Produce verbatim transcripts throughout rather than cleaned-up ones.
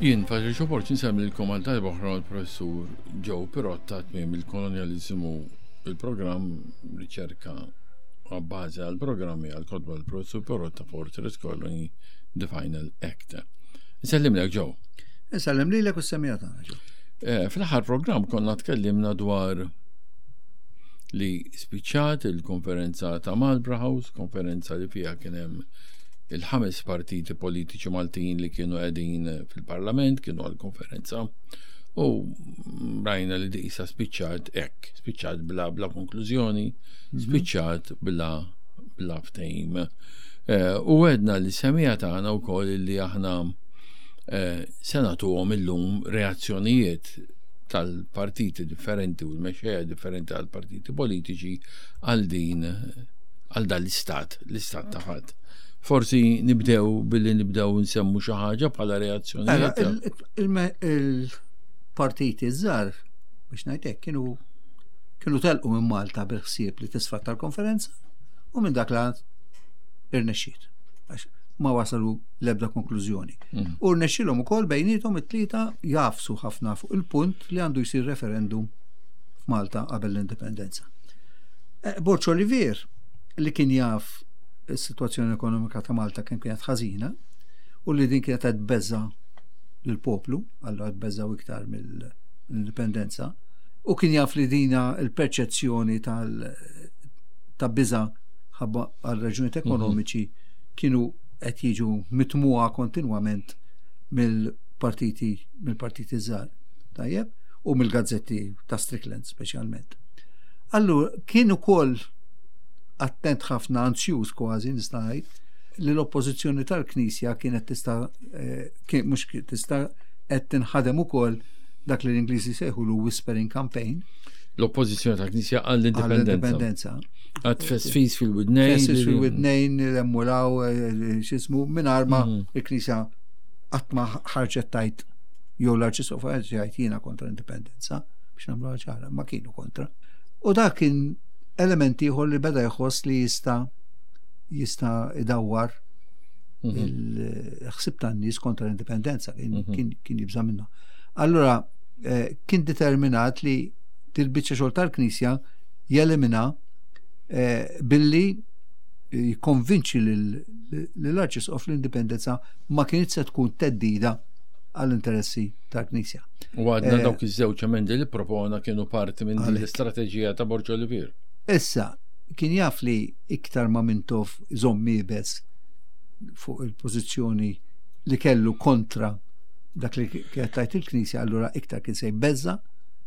Jien Patricio Borg insellmilkom għal darba oħra l-professur Joe Pirotta, Tmiem il-Kolonjaliżmu, il-programm riċerka għabbażi għal-programmi għal-kotba l-professur Pirotta, Fortress Colony, The Final Act. Nsellimlek, Joe. Insellem lilek u s-semmiegħa tagħna, Joe. Eh, Fl-aħħar programm konna tkellimna dwar li spiċċat il-konferenza ta' Marlborough House, konferenza li fija kien hemm il-ħames partiti politiċi Maltin li kienu qegħdin fil-parlament, kienu għal-konferenza u rajna li disa spiċċat hekk, spiċċat bla, bla konklużjoni, spiċċat bla bla ftehim. Eh, U għedna lis-semmiegħa tagħna wkoll li aħna eh, se nagħtuhom illum reazzjonijiet tal-partiti differenti u l-mexxejja differenti tal-partiti politiċi għal din għal dan l-istat, l-istat ta' fatt. Forsi nibdew billi nibdew nsemmu xi ħaġa bħala reazzjonijiet. Il-partiti żgħar, biex ngħidlek, kienu kienu telqu minn Malta bil-ħsieb li tisfatta l-konferenza u minn dak la irnexxiet. Għax ma wasalu l-ebda konklużjoni. Mm. U rnexxilhom ukoll bejniethom it-tlieta jagħfsu ħafna fuq il-punt li għandu jsir referendum f'Malta qabel l-indipendenza. Eh, Borg Olivier, li kien jaf is-sitwazzjoni ekonomika ta' Malta kien kienet ħażina u li din kienet qed tbeżża' lill-poplu, allura tbeżżaw iktar mill-indipendenza, u kien jaf li dina il-perċezzjoni tal ta' biża ħabba għal raġunijiet ekonomiċi kienu qed jiġu mitmuha kontinwament mill-partiti mill-partiti żgħar. Tajjeb, u mill-gazzetti ta' Strickland speċjalment. Allura kien ukoll attent ħafna, anzjuż kważi nista' ngħid, li l-oppożizzjoni tal-Knisja kienet tista' eh, kien mhux kien tista' qed tinħadem ukoll dak li l-Ingliżi sejħulu whispering campaign. L-oppożizzjoni tal-Knisja għall-indipendenza. Għall-indipendenza. Għad tfesfis fil-widnejn. Tfesfis fil-widnejn, l-emmulaw, x'jismu, mingħajr ma Mhm. il-Knisja qatt ma ħarġet tgħid jew l-Arċisqof ħarġet jgħid jiena kontra l-indipendenza, biex nagħmlu ċara, ma kienu kontra. U dak kien element ieħor li beda jħoss li jista' jista' idawwar Mhm. il-ħsib tan-nies kontra l-indipendenza, kien, Mhm. kien, kien jibża minnu. Allura, eh, kien determinat li dil-biċċa xogħol tal-Knisja jelimina eh, billi jikkonvinċi lill-Arċisqof l-indipendenza ma kienx se tkun theddida għall-interessi tal-Knisja. U għadna Eh, dawk iż-żewġ emendi li propona kienu parti minn din Għalhekk. l-istrateġija ta' Borg Olivier. Issa, kien jaf li iktar ma Mintoff iżomm iebes fuq il-pożizzjoni li kellu kontra dak li kienet tgħid il-Knisja, allura iktar kien se jbeżża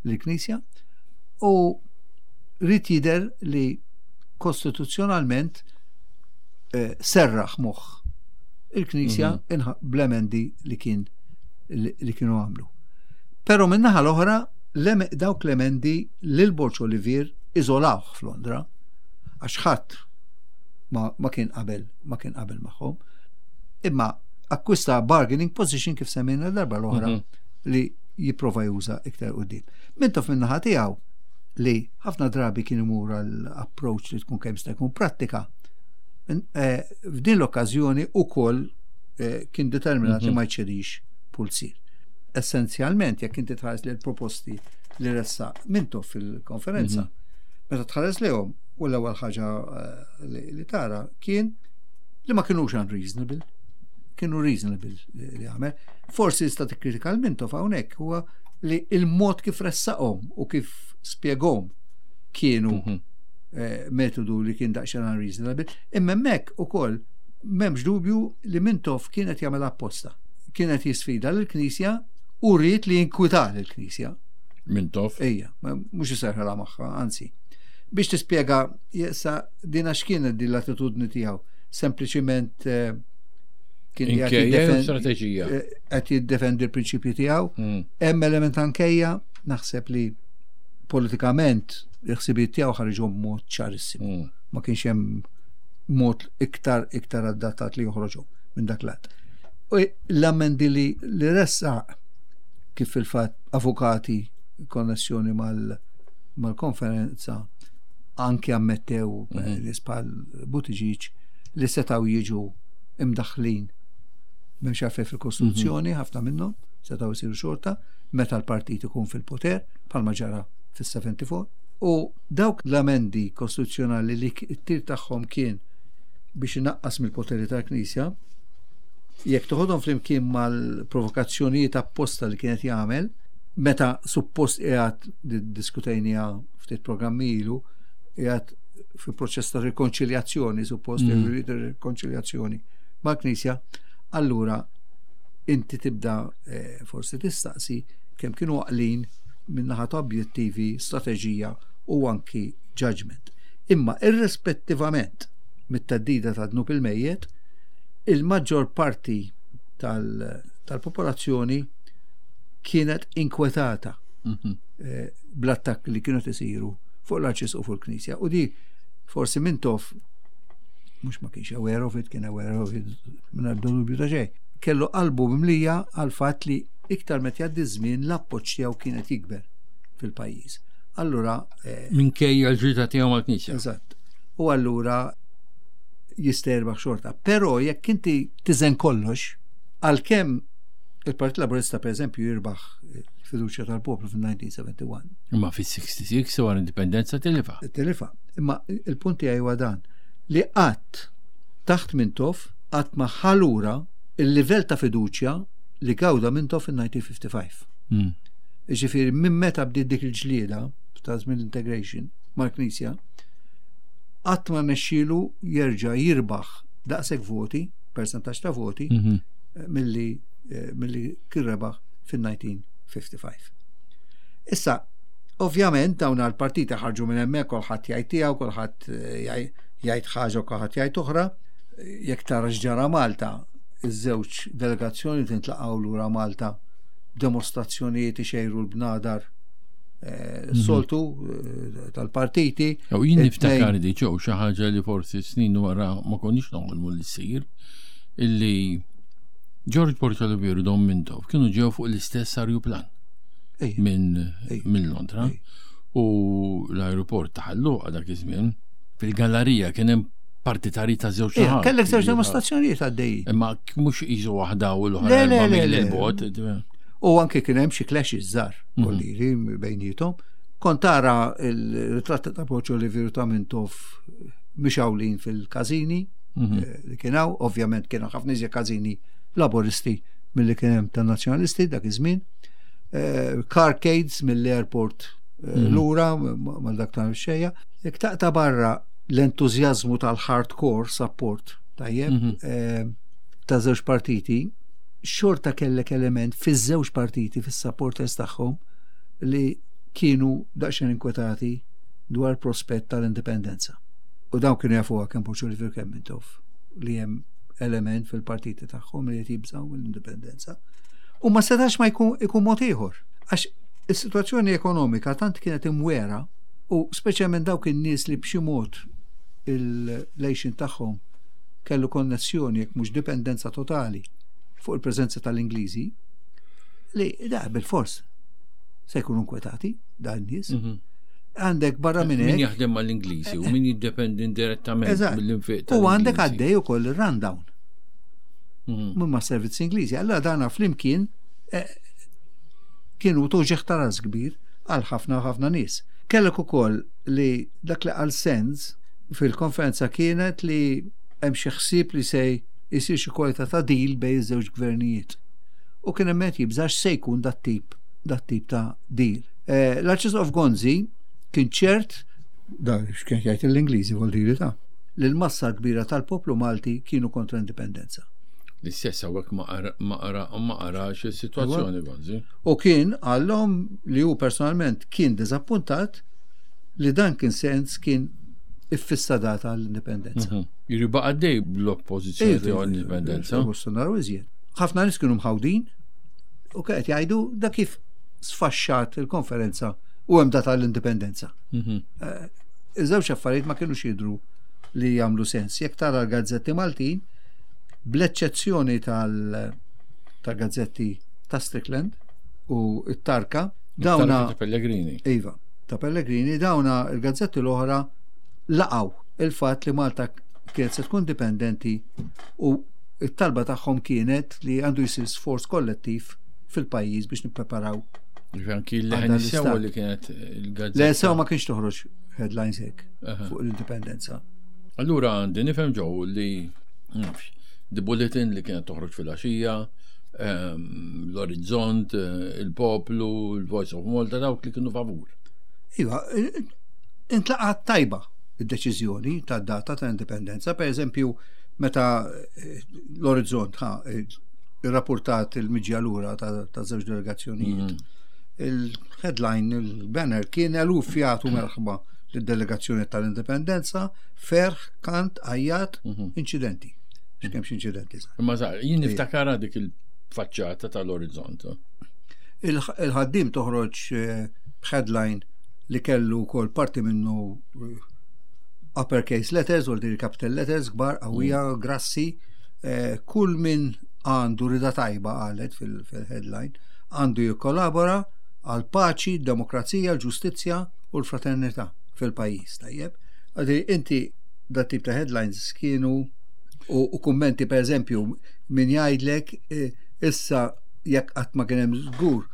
l-Knisja u ried jidher li kostituzzjonalment eh, serraħ moħħ il-Knisja inħa- bl-emendi li kien li li kienu għamlu. Però min-naħa l-oħra l-em- dawk l-emendi lil Borg Olivier iżolawh f'Londra għax ħadd ma, ma kien qabel ma kien qabel magħhom. Imma akkwista bargaining position, kif semmejna l-darba l-oħra, Mhm. li jipprova juża iktar quddiem. Mintoff min-naħa tiegħu, li ħafna drabi kien imur għal approach li tkun kemm jista' jkun prattika. In- eh, F'din l-okkażjoni ukoll eh, kien determinat li Mhm. ma jċedix pulzier. Essenzjalment, jekk inti tħares li l-proposti li ressaq Mintoff fil-konferenza, Mhm. meta tħares lejhom, u l-ewwel ħaġa eh, li li tara kien li ma kienux unreasonable, kienu reasonable li li għamel. Forsi tista' tikkritika lil Mintoff hawnhekk huwa li il-mod kif ressaqhom u kif spjegahom kienu Mhm. eh, metodu li kien daqsxejn unreasonable. Imma hemmhekk ukoll m'hemmx dubju li Mintoff kienet jagħmel apposta. Kienet jisfida lill-Knisja u ried li jinkwita lill-Knisja. Mintoff. Ejja, ma- mhux iserħela magħha, anzi. Biex tispjega jessa dina x'kienet din l-attitudni tiegħu. Sempliċiment eh, kien qiegħed Inkejja jew jiddefend- strateġija. eh, qed jiddefendi l-prinċipji tiegħu. Mm. Hemm element ankejja, naħseb li politikament il-ħsibijiet tiegħu ħarġu b'mod ċarissimu. Mm. Ma kienx hemm mod iktar iktar adattat li joħroġu minn dak lat. U l-amendi li, li ressaq, kif fil-fatt avukati konnessjoni mal mal-konferenza anki ammettew, mm Mhm. -hmm. bħal Buttigieg, li setgħu jiġu imdaħlin m'hemmx għalfejn fil-Kostituzzjoni, ħafna minnhom Setgħu jsiru xorta meta l-partit ikun fil-poter, bħalma ġara fis-erbgħa u sebgħin. U dawk l-amendi kostituzzjonali li t-tir tagħhom kien biex inaqqas mill-poteri tal-Knisja, jekk toħodhom flimkien mal-provokazzjonijiet apposta li kienet jagħmel, meta suppost qiegħed, diskutejnija ftit programmi ilu, qiegħed fi proċess ta' rikonċiljazzjoni, suppost mm. rikonċiljazzjoni mal-Knisja, allura inti tibda eh, forsi tistaqsi kemm kienu għaqlin min-naħa ta' objettivi, strateġija u anki judgment. Imma irrispettivament mit-theddida ta' dnub il-mejjet, il-maġġor parti tal-popolazzjoni kienet inkwetata mhm. eh, bl-attakk li kienu tisiru fuq l-Arċisqof u fuq il-Knisja. U di forsi Mintoff mhux ma kienx aware of it, kien aware of it minn dubju ta' xejn. Kellu qalbu mimlija għal fatt li iktar meta jgħaddi żmien l-appoġġ tiegħu kienet jikber fil-pajjiż. Allura eh, minkejja l-ġita tiegħu mal-Knisja. Eżatt. U allura jista' jirbaħ xorta. Però jekk inti tiżen kollox, għalkemm il-Partit Laburista, per eżempju, jirbaħ il-fiduċja tal-poplu fil-elf disa' mija u wieħed u sebgħin. Imma fis-sitta u sittin wara indipendenza tilifa. Tilifa. Imma il-punt tiegħi huwa dan, li qatt taħt Mintoff qatt ma ħa lura il-livell ta' fiduċja li gawda Mintoff fil-elf disa' mija u ħamsa u sebgħin. Mm. Ġifieri minn meta bdiet dik il-ġlieda ta' żmien integration mal-Knisja, qatt ma rnexxielu jerġa' jirbaħ daqshekk voti, percentaġġ ta' voti, mm -hmm. milli eh, milli kien rebaħ fil-elf disa' mija u ħamsa u sebgħin. Issa, ovvjament dawn għal-partiti ħarġu minn hemmhekk, kulħadd jgħid tiegħu, kulħadd eh, jgħid ħaġa u kulħadd jgħid oħra. Jekk tara x'ġara Malta, iż-żewġ delegazzjoni tintlaqgħu lura Malta, demostrazzjonijiet, ixejru l-bnadar eh, mhm. soltu eh, tal-partiti. U jien niftakar di ġew xi ħaġa li forsi snin wara ma konniex noħolmu li ssir, illi George Borg Olivier u Dom Mintoff kienu ġew fuq l-istess arjuplan minn minn Londra u l-aeroport ta' Ħal Luqa dak iż-żmien, fil-gallerija kien hemm partitari ta' żewġ naħat. Kellek żewġ demostrazzjonijiet għaddej. Imma mhux qisu waħda u l-oħra. Le, le, le, le. U anke kien hemm xi clashes żgħar mhm. kolliri bejniethom. Kont tara il-ritratt ta' Borg Olivier ta' Mintoff mixgħulin fil-każini mhm. eh, li kien hawn, ovvjament kienu ħafna iżjed każini Laboristi milli kien hemm tan-Nazzjonalisti dak iż-żmien. Eh, carcades mill-airport eh, mhm. lura mal dak ta' xejja. Jekk taqta' barra l-entużjażmu tal-hardcore support, tajjeb, mhm. ta' żewġ partiti, xorta kellek element fiż-żewġ partiti, fis-supporters tagħhom, li kienu daqsxejn inkwetati dwar prospett tal-indipendenza. U dawn kienu jafuha kemm Borg Olivier kemm Mintoff li hemm element fil-partiti tagħhom li qed jibżgħu mill-indipendenza. U ma setax ma jkun ikun mod ieħor. Għax is-sitwazzjoni ekonomika tant kienet imwera, u speċjalment dawk in-nies li b'xi mod il-lejxin tagħhom kellu konnessjoni, jekk mhux dipendenza totali, fuq il-preżenza tal-Ingliżi, li da bil-fors se jkunu inkwetati dan nies. Mhm. Għandek barra minn Min jaħdem mal-Ingliżi u min jiddependi indirettament mill-infiq. U għandek għaddej ukoll il-rundown. Mhm. Minn ma' servizzi Ingliżi. Allora dana flimkien eh, kienu tuġigħ ta' ras kbir għal ħafna ħafna nies. Kellek ukoll li dak li qal Sands fil-konferenza kienet li hemm xi ħsieb li se jsir xi kwalità ta' deal bejn iż-żewġ gvernijiet. U kien hemm qed jibżax se jkun dat tip dat tip ta' deal. Eh, L-Arċisqof Gonzi kien ċert, da x'kien jgħid l-Ingliżi vuol ta' li l-massa kbira tal-poplu Malti kienu kontra indipendenza. L-istess hawnhekk ma qara ma qarax is-sitwazzjoni Gonzi. U kien għallhom li hu personalment kien diżappuntat li dan kien sens kien iffissa data l-indipendenza. Mhm. Jiri baqa' dej bl-oppożizzjoni tiegħu l-indipendenza. Naraw iżjed. Ħafna nies kienu mħawdin u qed jgħidu da kif sfaxxat il-konferenza u hemm data l-indipendenza. Mhm. Eh, iż-żewġ affarijiet ma kienux jidru li jagħmlu sens. Jekk tara l-gazzetti Maltin, bl-eċċezzjoni tal-gazzetti ta' Strickland u it-Tarka, dawna ta' Pellegrini. Iva, ta' Pellegrini, dawna il-gazzetti l-oħra laqgħu il-fatt li Malta kienet se tkun dipendenti u it-talba tagħhom kienet li għandu jsir sforz kollettiv fil-pajjiż biex nippreparaw. Anki l-Leħen is-Sewwa li kienet il-gazzetta. Le, sew ma kienx toħroġ headlines hekk fuq l-indipendenza. Allura għandi nifhem ġew li nafx, The Bulletin li kienet toħroġ fil-għaxija, ehm, l-Orizzont, il-Poplu, il-Voice of Malta, dawk li kienu favur. Iva, intlaqat tajba id-deċiżjoni ta' data ta' indipendenza. Per eżempju, meta eh, l-Orizzont ha irrapportat il-miġja lura ta' żewġ delegazzjonijiet. Mm. Il-headline, il-banner kien eluf jagħtu merħba lid-delegazzjoni tal-indipendenza, ferħ, kant, għajjat, mhm. inċidenti. X'kemm inċidenti. Imma jien niftakara dik il-faċċata tal-Orizzont. Il-Ħaddiem toħroġ eh, headline li kellu kol parti minnu eh, uppercase letters, u capital letters, kbar, qawwija, mm. grassi, eh, kull min għandu rida tajba, qalet fil-headline, għandu jikkollabora għal paċi, demokrazija, ġustizzja u l-fraternità fil-pajjiż. Tajjeb. Għadi, inti dat tip ta' headlines kienu u, u kummenti, per eżempju, min jgħidlek eh, issa jekk qatt ma kien hemm żgur,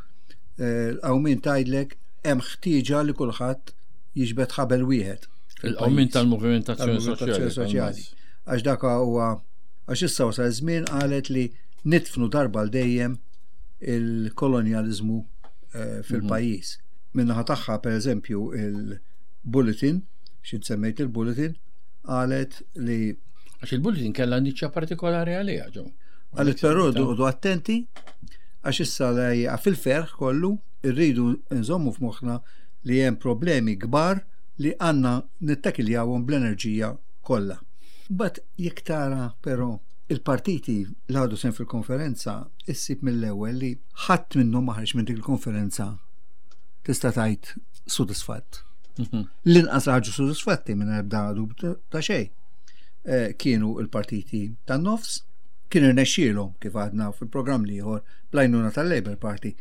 għaw eh, min tgħidlek hemm ħtieġa li kulħadd jiġbed ħabel wieħed. Il-qawmin tal-movimentazzjoni soċjali. Għax dak huwa, għax issa wasal żmien, qalet, li nidfnu darba l dejjem il-kolonjalizmu eh, fil-pajjiż. Minnaħa tagħha, per eżempju, il-Bulletin, xi semmejt il-Bulletin, qalet li Għax il-Bulletin kellha niċċa partikolari għaliha ġo. Qalet però oqogħdu attenti għax issa fil-ferħ kollu irridu nżommu f'moħħna li hemm problemi kbar li għandna nittakiljawhom bl-enerġija kollha. But jekk tara però il-partiti li ħadu sehem fil-konferenza, issib mill-ewwel li ħadd minnhom ma ħareġ minn dik il-konferenza tista' tgħid sodisfatt. Mhm. L-inqas ħarġu sodisfatti minn ebda dubju ta' xejn. Eh, kienu il-partiti tan-nofs, kien irnexxielhom, kif għadna fil-programm l-ieħor, bl-għajnuna tal-Labour Party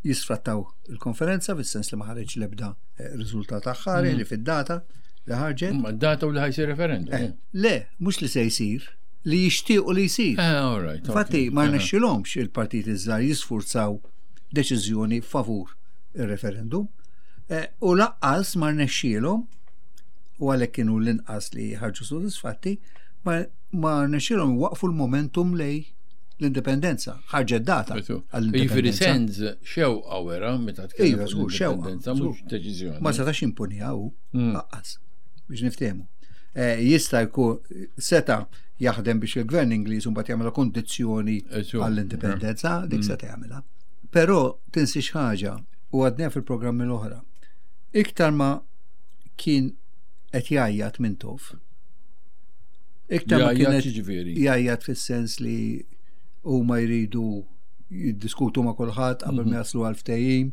jisfrattaw il-konferenza fis-sens li ma ħareġ l-ebda eh, riżultat aħħari mm. li fid-data li ħarġet. Ma data u li ħa jsir referendum. Eh, le, mhux li se jsir, li jixtiequ li jsir. Infatti ma rnexxilhomx il-partiti żgħar jisfurzaw deċiżjoni favur il-referendum. U lanqas ma rnexxielhom, u għalhekk kienu l-inqas li ħarġu sodisfatti, ma, ma rnexxielhom waqfu l-momentum lejn l-indipendenza. Ħarġet data. Jiġifieri Sands xewqa wera meta tkellem. Iva, żgur, xewqa. Mhux deċiżjoni. Ma setax imponiha hu mm. lanqas biex niftehmu. Eh, jista' jkun seta' jaħdem biex il-gvern Ingliż mbagħad jagħmel kondizzjoni għall-indipendenza, dik mm. seta' jagħmilha. Però tinsiex ħaġa, u għadna fil-programmi l-oħra. Iktar ma kien qed jgħajjat Mintoff. Iktar ma kien jgħajjat fis-sens li huma jridu jiddiskutu ma' kulħadd qabel ma mhm. jaslu għal ftehim,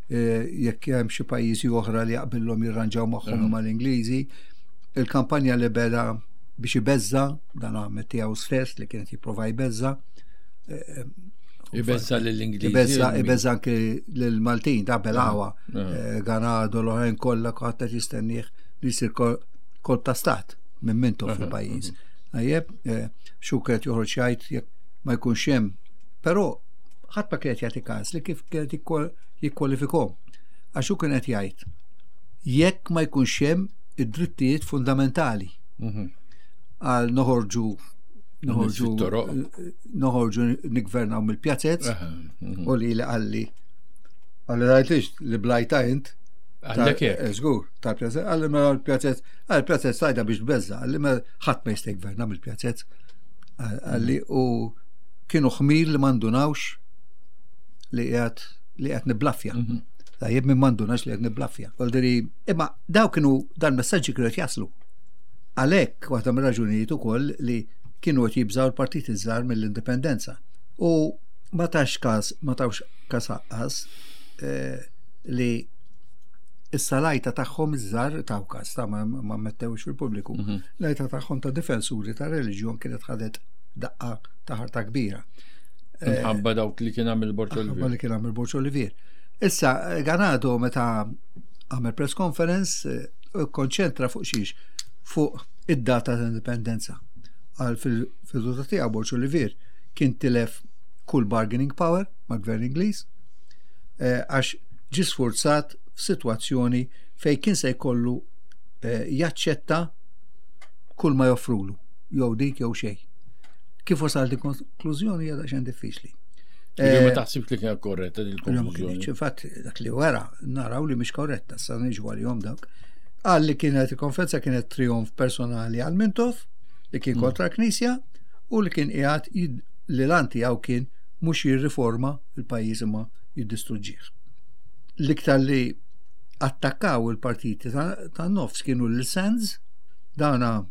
eh, jekk hemm xi pajjiżi oħra li jaqbillhom jirranġaw magħhom mal-Ingliżi. Il-kampanja li beda biex ibeżza, dan għamel tiegħu stess li kienet jipprova jbeżza. Eh, Ibeżza lill-Ingliżi. Ibeżza, ibeżza anke lill-Maltin, ta' belawa, eh, Ganado, l-oħrajn kollha, kulħadd qed jistennieh li jsir kolp ta' stat minn Mintoff fil-pajjiż. Tajjeb, xu kienet joħroġ jgħid jekk ma jkunx hemm. Però ħadd ma kienet jagħti każ li kif kienet jikkwalifikhom. Għax hu kienet jgħid jekk ma jkunx hemm id-drittijiet fundamentali. Mhm. Għal noħorġu noħorġu noħorġu nigvernaw mill-pjazzez mhm. u li li qalli qalli rajtlix li blajta int. Għallek eh, Żgur, tal-pjazzez, qalli mela l-pjazzez, għal pjazzez tajda biex tbeżza, qalli mela ħadd ma jista' jgverna mill-pjazzez. Qalli u kienu ħmir li mandunawx li qiegħed li qiegħed niblaffja. Mhm. Tajjeb, minn mandunax li qed niblaffja. Għaldiri, imma daw kienu dan messaġġi kienu qed jaslu. Għalhekk waħda mir-raġunijiet ukoll li kienu qed jibżaw l-partiti żgħar mill-indipendenza. U ma tax każ, ma tawx każ aqqas eh, li issa l-għajta tagħhom iż-żgħar taw każ ta' ma, ma mettewx fil-pubbliku. Mhm. L-għajta tagħhom ta' difensuri ta' reliġjon kienet ħadet daqqa ta' ħarta kbira. Eh, Minħabba dawk li kien għamil Borġ Minħabba li kien għamil Borġ Olivier. Issa, Ganado meta għamel press conference, eh, konċentra fuq xiex? Fuq id-data ta' indipendenza. Għal fil-veduta tiegħu Borġ Olivier kien tilef kull bargaining power mal-gvern Ingliż, eh, għax ġie sfurzat f'sitwazzjoni fejn kien se jkollu eh, jaċċetta kull ma joffrulu, jew dik jew xejn. Kif wasal di konklużjoni hija daqsxejn diffiċli. Ma taħsibx li kienet korretta din il-konklużjoni? Infatti, dak li wara naraw li mhix korretta, sa niġu għalihom dawk. Qal li kienet il-konferenza kienet trionf personali għal Mintoff, li kien mm. kontra l-Knisja, u li kien qiegħed li l-għan tiegħu kien mhux jirriforma il-pajjiż imma jiddistruġġih. L-iktar li attakkaw il-partiti tan-nofs kienu l-Sands, dana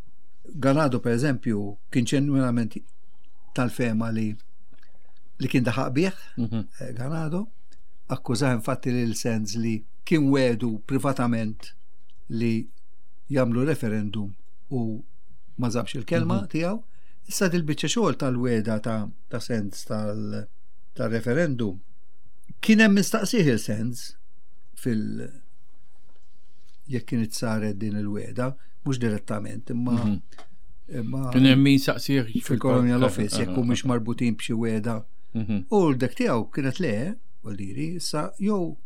Ganado per eżempju kien ġenwinament tal-fehma li li kien daħaq bih, mhm. eh, Ganado, akkużah infatti lil Sands li kien wedu privatament li jagħmlu referendum u ma żammx il-kelma mhm. tiegħu. Issa dil-biċċa xogħol tal-weda ta', ta Sands tal-referendum kien hemm mistaqsih il-Sands fil- jekk kienet saret din il-weda, mhux direttament, imma mhm. imma kien hemm min saqsih fil-Colonial Office jekk mhux marbutin b'xi weda. Mhm. U l-dek tiegħu kienet le, diri, issa jew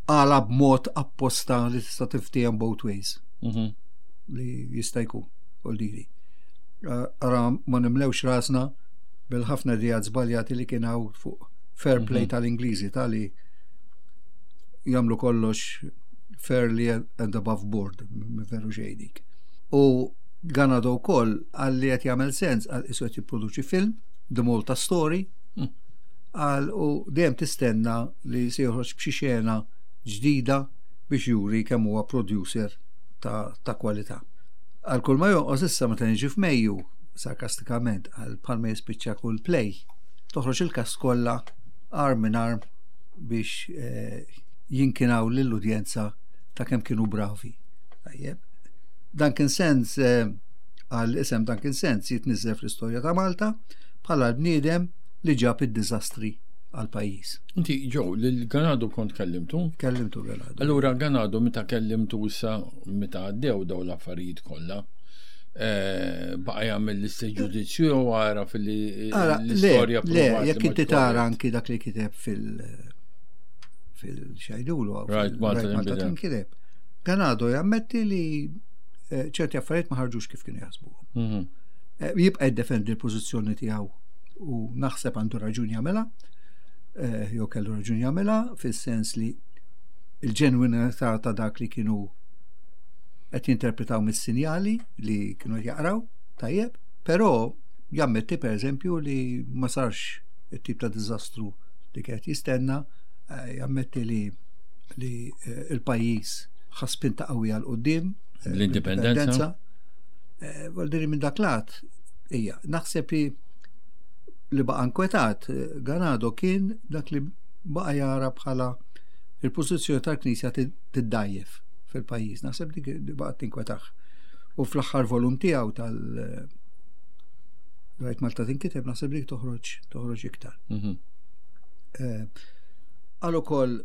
għala b'mod apposta li tista' tiftiehem both ways. Mhm. Li jista' jkun, diri. Ara ma nimlewx rasna bil-ħafna ideat żbaljati li kien hawn fuq fair play mhm. tal-Ingliżi tali jagħmlu kollox fairly and above board, veru xejdik. U Ganado wkoll qal li qed jagħmel sens għal isu qed jipproduċi film, The Malta Story, hmm. għal u dejjem tistenna li se joħroġ b'xi xena ġdida biex juri kemm huwa producer ta', ta kwalità. Għal kull ma jonqos issa meta niġi f'Mejju, sarkastikament, għal bħalma jispiċċa kull play, toħroġ il-cast kollha arm in arm biex eh, jinkinaw lill-udjenza ta' kemm kienu bravi. Tajjeb. Duncan Sands eh, għal isem Duncan Sands jitniżel fl-istorja ta' Malta bħala l-bniedem li ġab id-diżastri għal pajjiż. Inti Joe, lil Ganado kont kellimtu? Kellimtu Ganado. Allura Ganado meta kellimtu issa meta għaddew daw l-affarijiet kollha, eh, baqa' jagħmel l-istess ġudizzju jew għara fil-istorja. Le, jekk inti tara anki dak li kiteb fil- fil-xajdulu. Right, Malta tinkiteb. Ganado jammetti li eh, ċerti affarijiet ma ħarġux kif kienu jaħsbu. Mhm. Eh, jibqa' jiddefendi l-pożizzjoni tiegħu u naħseb għandu raġun jagħmilha, eh, jew kellu raġun jagħmilha fis-sens li il-ġenwinità ta' dak li kienu qed jinterpretaw mis-sinjali li kienu jaqraw, tajjeb, però jammetti per eżempju li ma sarx it-tip ta' diżastru li kienet jistenna, jammetti li li il-pajjiż ħa spinta qawwija 'l quddiem L-indipendenza. Vuol minn dak lat, ija, naħseb li li baqa inkwetat, Ganado kien dak li baqa jara bħala il-pożizzjoni tal-Knisja tiddajjef fil-pajjiż. Naħseb dik li baqa tinkwetah. U fl-aħħar volum tiegħu tal- Rajt Malta tinkiteb, naħseb dik toħroġ toħroġ iktar. Mhm. Qal ukoll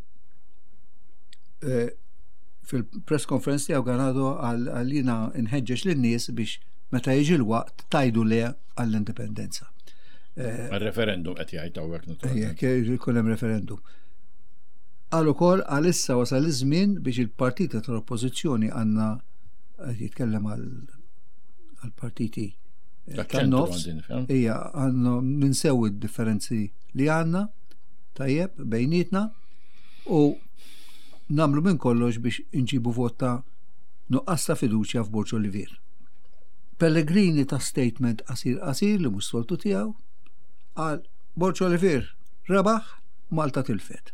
fil-press conference tiegħu Ganado qal jiena nħeġġeġ lin-nies biex meta jiġi l-waqt tgħidu le għall-indipendenza. Għal-referendum qed jgħid hawnhekk naturalment. Jekk hemm referendum. Qal ukoll għalissa wasal iż-żmien biex il-partiti tal-oppożizzjoni għandna jitkellem għal-partiti tan-nofs. Ija, għandna ninsew id-differenzi li għandna tajjeb bejnietna u nagħmlu minn kollox biex inġibu vot ta' nuqqas ta' fiduċja f'Borg Olivier. Pellegrini ta statement qasir qasir li mhux soltu tiegħu qal Borg Olivier rebaħ, Malta tilfet.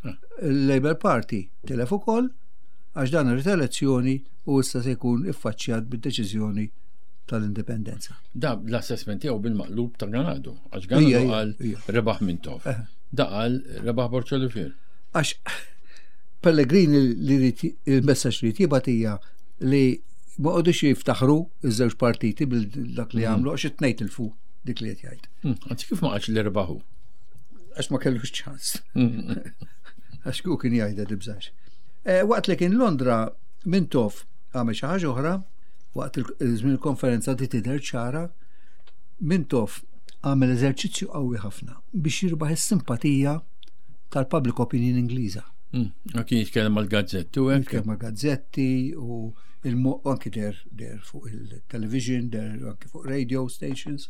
Ah. Il-Labour Party tilef ukoll għax dan irid elezzjoni u issa se jkun iffaċċjat bid-deċiżjoni tal-indipendenza. Da l-assessment tiegħu bil-maqlub ta' Ganado. Għax Ganado qal rebaħ Mintoff. Eh. Da qal rebaħ Borg Olivier. Għax Pellegrini li il-messaġġ li jibgħat hija li ma qogħdux jiftaħru iż-żewġ partiti bil-dak li Mhm. għamlu għax it-tnejn tilfu dik li qed jgħid. Hmm, anzi kif ma qalx li rebaħu? Għax ma kellux ċans. Hmm. Għax ku kien jgħidha tibżax. Eh, waqt li kien Londra Mintoff għamel xi ħaġa oħra, waqt il-żmien il-konferenza di tidher ċara, Mintoff Għamel eżerċizzju qawwi ħafna biex jirbaħ is-simpatija tal-public opinion Ingliża. Mm, kien jitkellem mal-gazzetti u hekk. Jitkellem mal-gazzetti u anki der der fuq il-television, der anki fuq radio stations,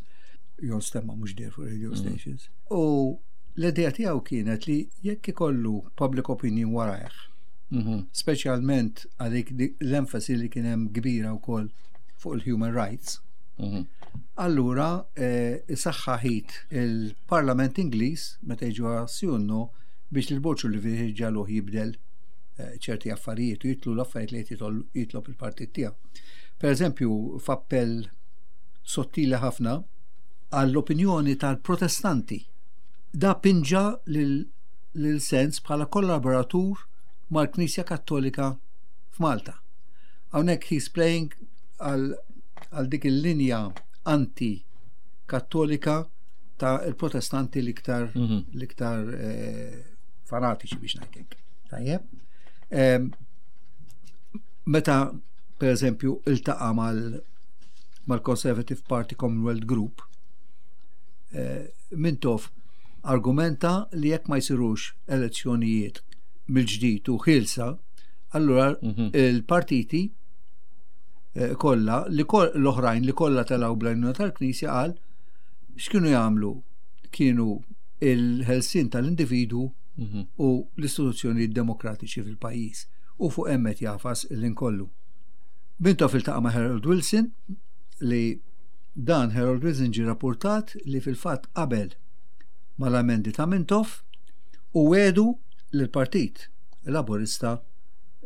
jew stemma mhux der fuq radio mm. stations. U l-idea tiegħu kienet li jekk ikollu public opinion warajh, mhm. speċjalment għalik l-enfasi li kien hemm kbira wkoll fuq il-human rights, mhm. allura eh, isaħħaħit il-Parlament Ingliż meta jiġu għas-sjunnu biex l-Borg Olivier ġaluh jibdel eh, ċerti affarijiet u jitlu l-affarijiet li jitlob il-partit tiegħu. Per eżempju, f'appell sottili ħafna għall-opinjoni tal-protestanti. Da pinġa lil Sands bħala kollaboratur mal-Knisja Kattolika f'Malta. Hawnhekk he's playing għal dik il-linja anti-kattolika ta' il-protestanti l-iktar mhm. l-iktar eh, fanatiċi biex ngħidlek. Tajjeb. Meta per eżempju iltaqa' mal mal-Conservative Party Commonwealth Group, eh, Mintoff argumenta li jekk ma jsirux elezzjonijiet mill-ġdid u ħielsa, allura mhm. il-partiti eh, kollha li l-oħrajn li kollha telgħu bl-għajnuna tal-Knisja qal x'kienu jagħmlu kienu il-ħelsien tal-individu mhm. u l-istituzzjoni demokratiċi fil-pajjiż u fuq hemm qed jagħfas il-kollu. Mintoff iltaqa' ma' Harold Wilson li dan Harold Wilson ġi rapportat li fil-fatt qabel mal-amendi ta' Mintoff u wiegħdu li l-partit Laburista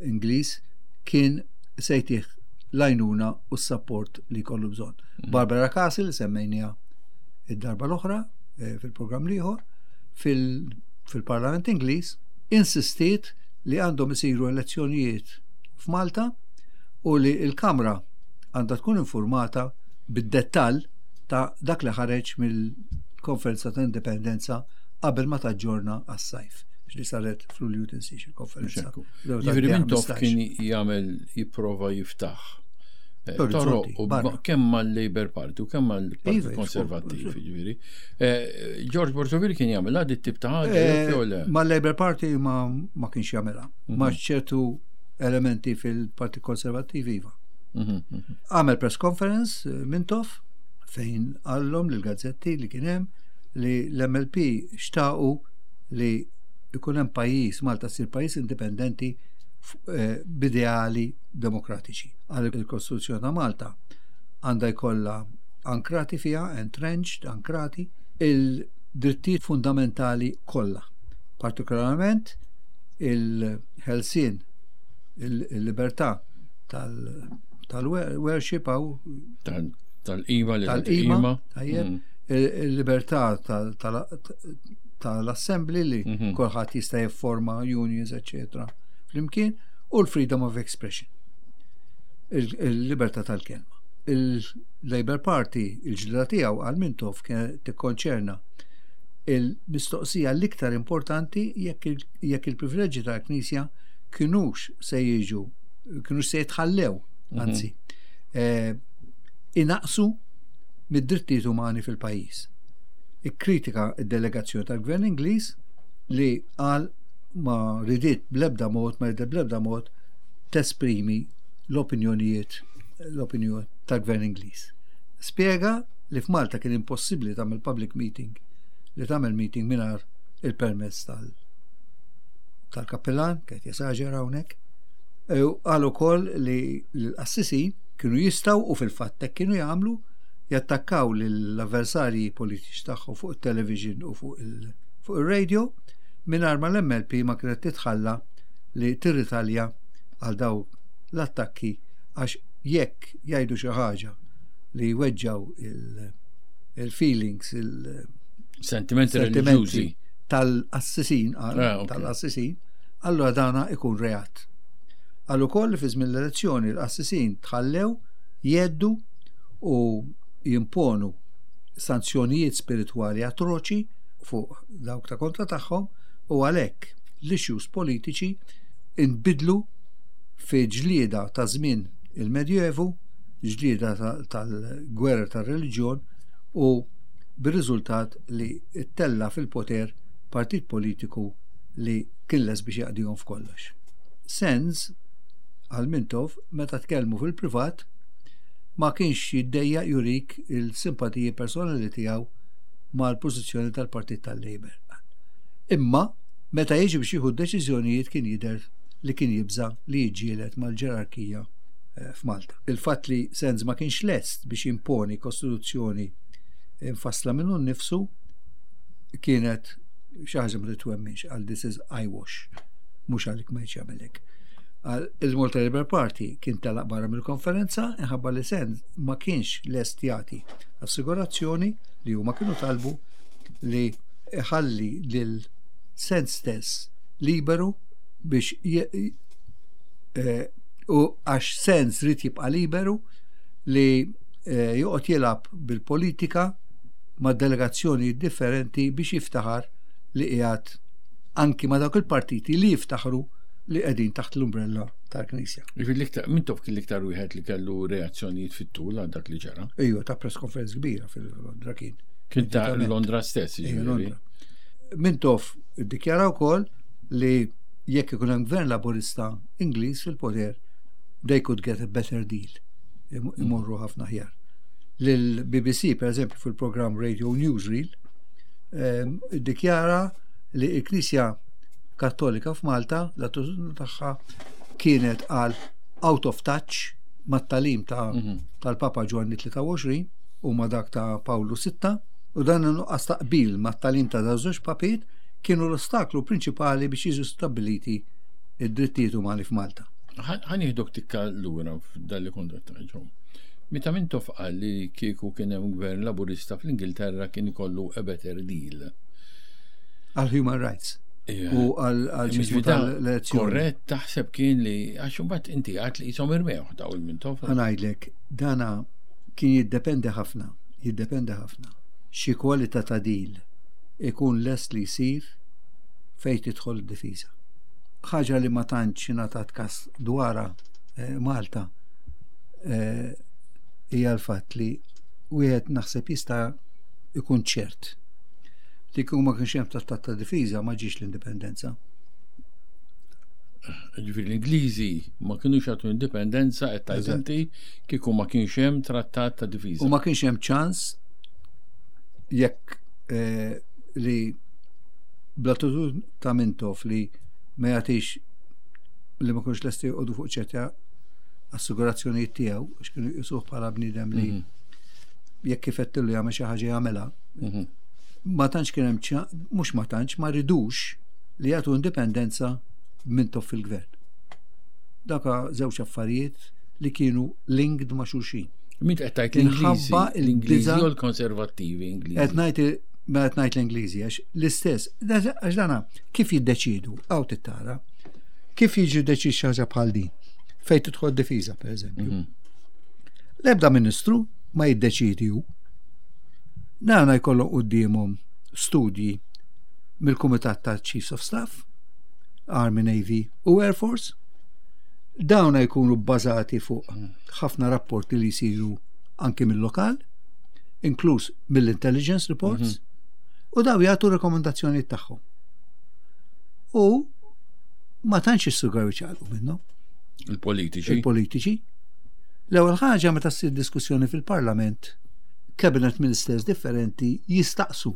Ingliż kien se jtih l-għajnuna u s-support li kollu bżonn. Mm. Barbara Castle semmejnija id-darba l-oħra eh, fil-programm l-ieħor fil-Parlament Ingliż insistiet li għandhom isiru elezzjonijiet f'Malta u li l-Kamra għandha tkun informata bid-dettall ta' dak li ħareġ mill-konferenza ta' indipendenza qabel ma taġġorna għas-sajf li saret fl-Ulju tinsiex il-konferenza. Ġifieri Mintoff kien jagħmel jipprova jiftaħ eh, toroq u kemm mal-Labour Party u kemm mal-Partit iva, Konservattiv, ġifieri. Eh, George Borg Olivier kien jagħmel għadi tip ta' ħaġa eh, jew le? Mal-Labour Party ma ma kienx jagħmilha. Ma mhm. ċertu elementi fil-Partit Konservattiv iva. Mhm, mhm. Għamel press conference Mintoff fejn qallhom l-gazzetti li kien hemm li l-M L P xtaqu li ikun hemm pajjiż, Malta ssir pajjiż indipendenti eh, b'ideali demokratiċi. Għal il-Kostituzzjoni ta' Malta għandha jkollha ankrati fiha, entrenched, ankrati, il-drittijiet fundamentali kollha. Partikolarment il-ħelsien, il-libertà tal-worship għaw tal-qima li tal-qima, tajjeb, mm. il-libertà tal-assembly li mhm. kulħadd jista' jifforma unions, eccetera. Flimkien u l-freedom of expression. Il-libertà tal-kelma. Il-Labour Party, il-ġlida tiegħu għal Mintoff kien tikkonċerna il-mistoqsija l-iktar importanti jekk il-privileġġi tal-Knisja kinux se jiġu, kinux se jitħallew, mhm. anzi, eh, inaqsu mid-drittijiet umani fil-pajjiż. Ikkritika id-delegazzjoni tal-Gvern Ingliż li qal ma ridiet blebda mod, ma ridiet blebda mod tesprimi l-opinjonijiet l-opinjoni tal-Gvern Ingliż. Spjega li f'Malta kien impossibbli tagħmel public meeting li tagħmel meeting mingħajr il-permess tal tal-kappellan, kien jesaġera hawnhekk. Qal ukoll li l-qassisin kienu jistgħu u fil-fatt hekk kienu jagħmlu jattakkaw l-avversarji politiċi tagħhom fuq il-television u fuq il-radio mingħajr ma l-M L P ma kienet titħalla li tirritalja għal daw l-attakki għax jekk jgħidu xi ħaġa li jweġġaw il-feelings, il-sentimenti reliġjużi tal-qassisin, ah, tal-qassisin, allora dana ikun reat. Qal ukoll li fi żmien l-elezzjoni l-qassisin tħallew jheddu u jimponu sanzjonijiet spiritwali atroċi fuq dawk ta' kontra tagħhom u għalhekk l-issues politiċi inbidlu fi ġlieda ta' żmien il-Medjuevu, ġlieda tal-gwerra tar-reliġjon u Bir-riżultat li ttella fil-poter partit politiku li kien lest biex jaqdihom f'kollox. Sands, għal Mintoff, meta tkellmu fil-privat, ma kienx jiddejjaq jurik il-simpatiji personali tiegħu mal-pożizzjoni tal-Partit tal-Labour. Imma meta jiġi biex jieħu deċiżjonijiet kien jidher li kien jibża li jiġġieled mal-ġerarkija eh, f'Malta. Il-fatt li Sands ma kienx lest biex jimponi kostituzzjoni infassla minnu nnifsu kienet xi ħaġa ma titwemminx, għal this is eyewash, mhux għalik ma jagħmelek. Il-Malta Labour Party kien telaq barra mill-konferenza inħabba li Sands ma kienx lest jagħti assigurazzjoni li huma kienu talbu li iħalli lil Sands stess liberu biex eh, u għax Sands ried jibqa' liberu li eh, joqgħod jilgħab bil-politika ma' delegazzjoni differenti biex jiftaħar li qiegħed anki ma' dawk il-partiti li jiftaħru li qegħdin taħt l-umbrella tal-Knisja. Jiġifieri Mintoff kien l-iktar wieħed li kellu reazzjonijiet fit-tul għal dak li ġara. Ejju, ta press conference kbira fil-Londra kien. Kien ta' Londra stess, jiġifieri. Londra. Mintoff iddikjara wkoll li jekk ikun hemm gvern laburista Ingliż fil-poter, they could get a better deal. Imorru ħafna aħjar. Lil-B B C, per eżempju, fil-programm Radio Newsreel, ehm, iddikjara li l-Knisja Kattolika f'Malta, l-attitudni tagħha kienet għal out of touch mat-tagħlim ta' mhm. tal-Papa Ġwanni tlieta u għoxrin u ma' dak ta' Pawlu Sitta, u dan nuqqas taqbil mat-tagħlim ta' żewġ papiet kienu l-ostaklu prinċipali biex jiġu stabiliti id-drittijiet umani f'Malta. Ħa nieħduk tikka lura f'dan li kont ġo. Meta Mintoff qal li kieku kien hemm gvern laburista fl-Ingilterra kien ikollu a better deal. Għal human rights. U għal xismu tal-elezzjoni. Korrett taħseb kien li għax imbagħad inti għat li jisom irmew daw il-Mintoff. Ħa ngħidlek, dana kien jiddependi ħafna, jiddependi ħafna. Xi kwalità ta' deal ikun lest li jsir fejn tidħol id-difiża. Ħaġa li ma tantx ingħatat kas dwarha eh, Malta eh, hija l-fatt li wieħed naħseb jista' ikun ċert li kieku ma kienx hemm trattat ta' difiża ma ġiex l-indipendenza. Ġifieri l-Ingliżi ma kienux jagħtu indipendenza qed tgħid inti kieku ma kienx hemm trattat ta' difiża. U ma kienx hemm ċans jekk eh, li bl-attitudni ta' Mintoff li ma jagħtix, li ma kienx lesti joqogħdu fuq ċerta assigurazzjonijiet tiegħu, għax kienu jqisuh bħala bniedem li mhm. jekk kif jagħmel xi ħaġa jagħmilha. Mhm. Ma tantx kien hemm, mhux ma tantx, ma ridux li jagħtu indipendenza Mintoff fil-gvern. Daka żewġ affarijiet li kienu linked ma' xulxin. Min qed tgħid, l-Ingliżi? L-Ingliżi u l-Konservattivi Ingliżi? Qed ngħid, mela qed ngħid l-Ingliżi għax l-istess, għax dana kif jiddeċidu, għaw tittara, kif jiġi deċiż xi ħaġa bħal din, fejn tidħol difiża, pereżempju. Mhm. L-ebda ministru ma jiddeċidi hu. Dana jkollhom quddiemhom studji mill-Kumitat ta' Chiefs of Staff, Army, Navy u Air Force. Dawna jkunu bbażati fuq ħafna rapporti li jsiru anki mill-lokal, inkluż mill-intelligence reports, mhm. u daw jagħtu rekomendazzjoni tagħhom. U ma tantx issugraw iċaqalqu minnhom. Il-politiċi. Il-politiċi. L-ewwel ħaġa, meta ssir diskussjoni fil-Parlament, cabinet ministers differenti jistaqsu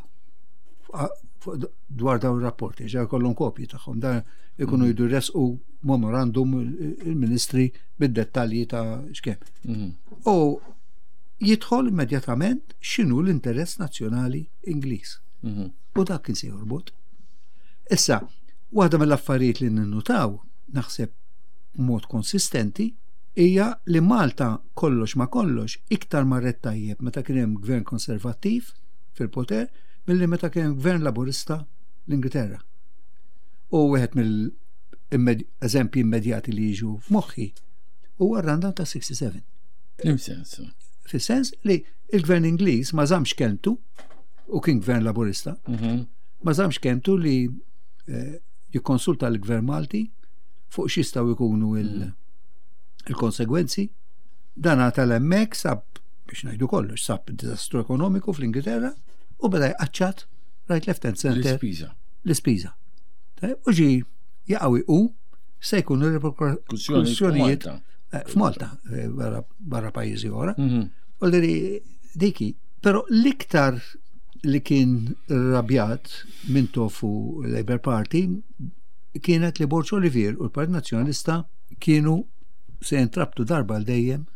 dwar dawn ir-rapporti, ġa jkollhom kopji tagħhom, dan ikunu mhm. jdu resqu memorandum il-ministri bid-dettalji ta' x'kemm. Mhm. U jidħol immedjatament x'inhu l-interess nazzjonali Ingliż. Mhm. U dak kien se jorbot. Issa, waħda mill-affarijiet li ninnutaw, naħseb mod konsistenti, hija li Malta kollox ma kollox iktar marret tajjeb meta kien hemm gvern konservattiv fil-poter milli meta kien hemm gvern laburista l-Ingilterra. U wieħed mill-eżempji immedjati li jiġu f'moħħi huwa r-rundown ta' sitta u sittin. F'liema sens? Fis-sens li il-gvern Ingliż ma żamx kelmtu, u kien gvern laburista, mhm. ma żamx kelmtu li eh, jikkonsulta l-gvern Malti fuq x'jistgħu jkunu il- mhm. il-konsegwenzi. Dan tal-hemmhekk sab, biex ngħidu kollox, sab diżastru ekonomiku fl-Ingilterra. U beda jqaċċat right, left and center. L-ispiża. L-ispiża. U ġi jaqawi u se jkunu reperkussjonijiet eh, f'Malta, eh, barra pajjiżi oħra. Mhm. U li diki, però l-iktar li kien rabjat Mintoff u Labour Party kienet li Borg Olivier u l-Partit Nazzjonalista kienu se jintrabtu darba għal dejjem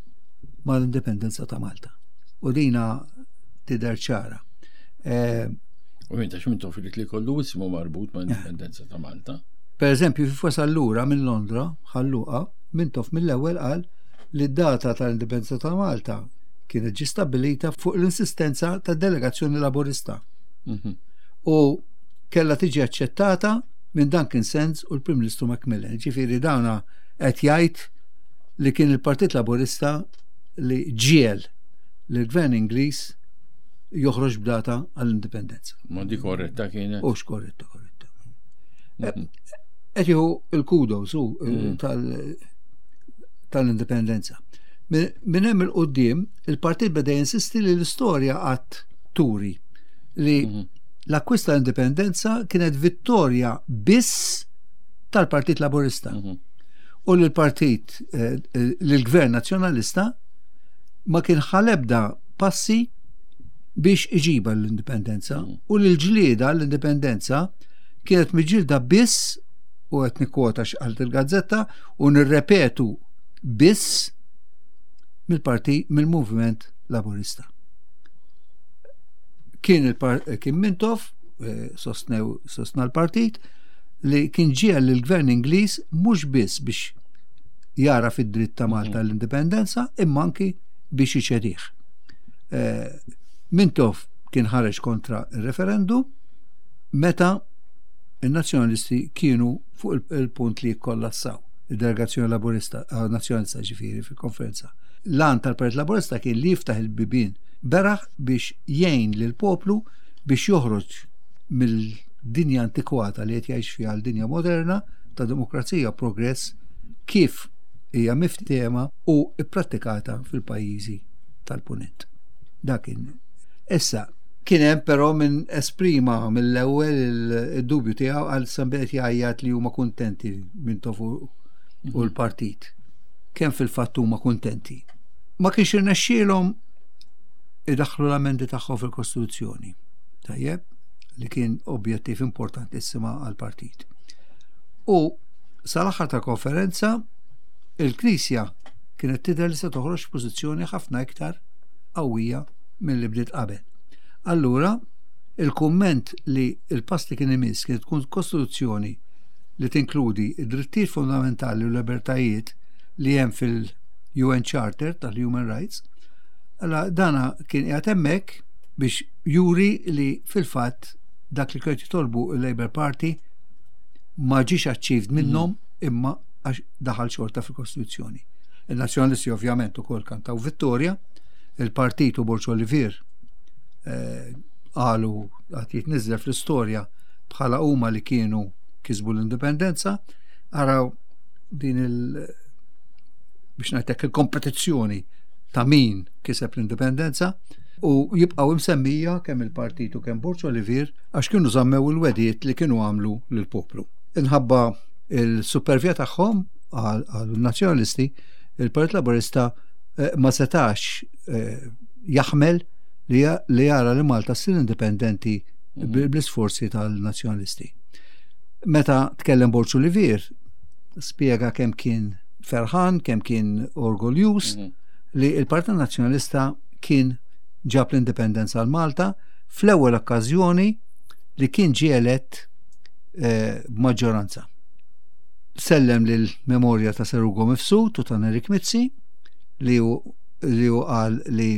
mal-indipendenza ta' Malta. U dina tidher ċara. Eh, u minn ta' Mintoff li kollu ismu marbut ma' indipendenza ta' Malta. Per eżempju, kif wasal lura minn Londra, Ħal Luqa, Mintoff mill-ewwel qal li d-data tal-indipendenza ta' Malta kienet ġi stabbilita fuq l-insistenza ta' delegazzjoni laburista. Mhm. U kella tiġi aċċettata minn Duncan Sandys u l-Prim Ministru Macmillan. Ġifieri dawna qed jgħid li kien il-Partit Laburista li ġiegħel l-Gvern Ingliż joħroġ b'data għall-indipendenza. Ma di korretta kienet? Ux korretta, korretta. Mhm. Qed jieħu il-kudos u mhm. tal-indipendenza. Minn hemm 'il quddiem, il-partit beda jinsisti li l-istorja qatt turi li mhm. l-akkwista l-indipendenza kienet vittorja biss tal-Partit Laburista. Mhm. U l-partit, eh, l-Gvern Nazzjonalista ma kien ħa l-ebda passi biex iġiba l-indipendenza mhm. u l-ġlieda l-indipendenza kienet miġġielda biss, u qed nikkwota x'qalt il-gazzetta u nirrepetu, biss mill-parti mill-movement laburista. Kien il kien Mintoff, eh, sostnew sostna l-partit, li kien ġiegħel l-gvern Ingliż mhux biss biex jara fid-dritt ta' Malta mhm. l-indipendenza, imma anki biex iċedih. Eh, Mintoff kien ħareġ kontra il-referendum meta il-nazzjonalisti kienu fuq il-punt li jikkollassaw il-delegazzjoni laburista, eh, nazzjonalista ġifieri fil-konferenza. L-għan tal-Partit Laburista kien li jiftaħ il-bibien beraħ biex jgħin lil poplu biex joħroġ mill-dinja antikwata li qed jgħix fiha għal dinja moderna ta' demokrazija, progress, kif hija miftehma u ipprattikata fil-pajjiżi tal-punent. Dakin. Issa, kien hemm però min esprima mill-ewwel id-dubju tiegħu għal sambet jgħajjat li huma kuntenti Mintoff u l-partit. Kemm fil-fatt huma kuntenti? Ma kienx irnexxielhom idaħħlu l-amendi tagħhom fil-Kostituzzjoni. Tajjeb, li kien objettiv importantissima għal-partit. U sal-aħħar ta' konferenza il-Knisja kienet tidher li se toħroġ pożizzjoni ħafna iktar qawwija mill-li bdiet qabel. Allura, il-kumment li il-pass li kien imiss kienet tkun kostituzzjoni li tinkludi id-drittijiet fundamentali u libertajiet li hemm fil-U N Charter tal-Human Rights, allora dana kien qiegħed hemmhekk biex juri li fil-fatt dak li kienet jitolbu il-Labour Party ma ġiex achieved minnhom imma għax daħal xorta fil-Kostituzzjoni. Il-Nazzjonalisti ovvjament ukoll kantaw vittorja, il-partit u Borg Olivier eh, qalu għad jitniżżel fl-istorja bħala huma li kienu kisbu l-indipendenza. Araw din il- biex ngħidlek il-kompetizzjoni ta' min kiseb l-indipendenza u jibqgħu imsemmija kemm il-partit u kemm Borg Olivier għax kienu żammew il-wegħdiet li kienu għamlu lill-poplu. Inħabba il-supervja tagħhom għal-nazzjonalisti, il-Partit Laburista eh, ma setax eh, jaħmel li li jara li Malta ssir indipendenti mhm. bl-isforzi tal-nazzjonalisti. Meta tkellem Borg Olivier, spiega kemm kien ferħan, kemm kien orgoljus mhm. li il-Partit Nazzjonalista kien ġab l-indipendenza għal Malta fl-ewwel okkażjoni li kien ġie elett eh, b'maġġoranza. Sellem lil memorja ta' Sir Ugo Mifsud u ta' Nerik Mizzi li hu li hu qal li